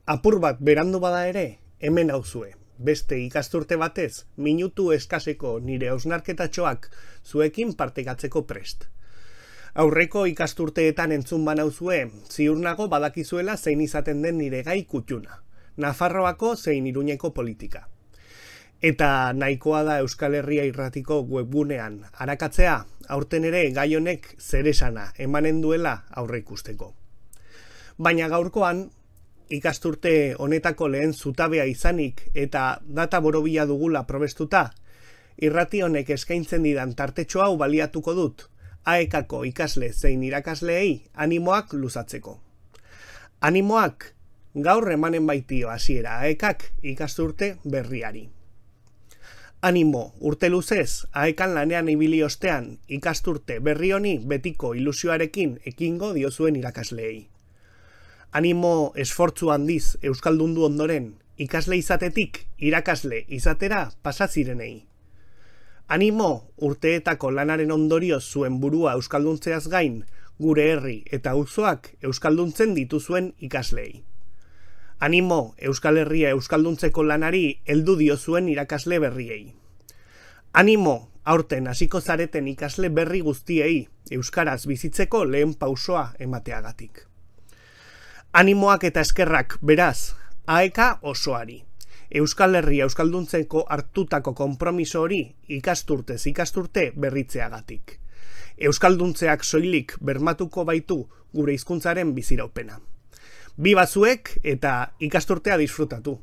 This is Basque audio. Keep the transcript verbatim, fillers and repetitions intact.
Apur bat berandu bada ere, hemen hauzue. Beste ikasturte batez, minutu eskaseko nire hausnarketatxoak zuekin partekatzeko prest. Aurreko ikasturteetan entzun banauzue, ziur nago badakizuela zein izaten den nire gai kutxuna. Nafarroako zein Iruñeko politika. Eta nahikoa da Euskal Herria Irratiko webgunean arakatzea, aurten ere gai honek zeresana emanen duela aurre ikusteko. Baina gaurkoan, ikasturte honetako lehen zutabea izanik eta data borobila dugula probestuta, irrati honek eskaintzen didan tartetxo hau baliatuko dut, A E K-ko ikasle zein irakasleei animoak luzatzeko. Animoak gaur emanen baitio hasiera A E K-k ikasturte berriari. Animo, urte luzez, A E K-an lanean ibili ostean ikasturte berri honi betiko ilusioarekin ekingo diozuen irakasleei. Animo esfortzu handiz euskaldundu ondoren, ikasle izatetik irakasle izatera pasazirenei. Animo urteetako lanaren ondorioz zuen burua euskalduntzeaz gain, gure herri eta auzoak euskalduntzen dituzuen ikaslei. Animo Euskal Herria euskalduntzeko lanari heldu diozuen irakasle berriei. Animo aurten hasiko zareten ikasle berri guztiei euskaraz bizitzeko lehen pausoa emateagatik. Animoak eta eskerrak, beraz, A E K osoari. Euskal Herria euskalduntzeko hartutako konpromiso hori ikasturtez ikasturte berritzeagatik. Euskalduntzeak soilik bermatuko baitu gure hizkuntzaren biziraupena. Bi bazuek eta ikasturtea disfrutatu.